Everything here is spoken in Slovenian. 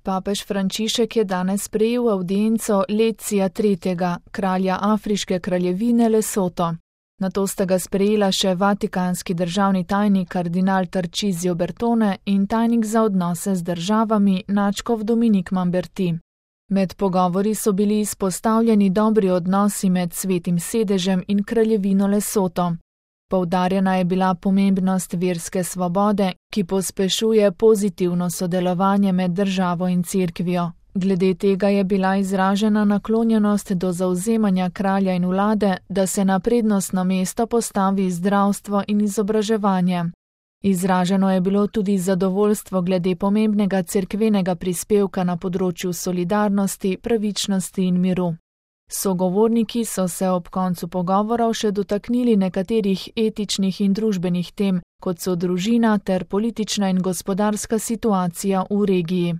Papež Frančišek je danes sprejel avdienco Lecija III., kralja Afriške kraljevine Lesoto. Nato sta ga sprejela še vatikanski državni tajnik kardinal Tarcísio Bertone in tajnik za odnose z državami nadškof Dominik Mamberti. Med pogovori so bili izpostavljeni dobri odnosi med Svetim sedežem in kraljevino Lesoto. Poudarjena je bila pomembnost verske svobode, ki pospešuje pozitivno sodelovanje med državo in cerkvijo. Glede tega je bila izražena naklonjenost do zavzemanja kralja in vlade, da se na prednostno mesto postavi zdravstvo in izobraževanje. Izraženo je bilo tudi zadovoljstvo glede pomembnega cerkvenega prispevka na področju solidarnosti, pravičnosti in miru. Sogovorniki so se ob koncu pogovorov še dotaknili nekaterih etičnih in družbenih tem, kot so družina ter politična in gospodarska situacija v regiji.